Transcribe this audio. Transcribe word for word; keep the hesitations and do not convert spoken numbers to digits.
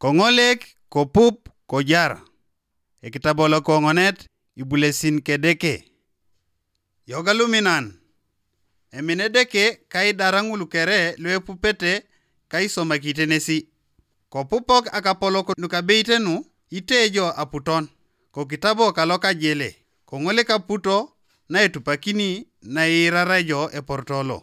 Koŋolek kopup kojar. Ekitabo lokoŋonet ibulesin kedeke. Yoga luminan. Emine Edeke kaidara ŋul kere luepupete kaisomakite nesi. Kopupok akapolok nukabeitenu itejo aputon kokitabo kalokajele, koŋolek aputo naetupakini nairarajo eportolo.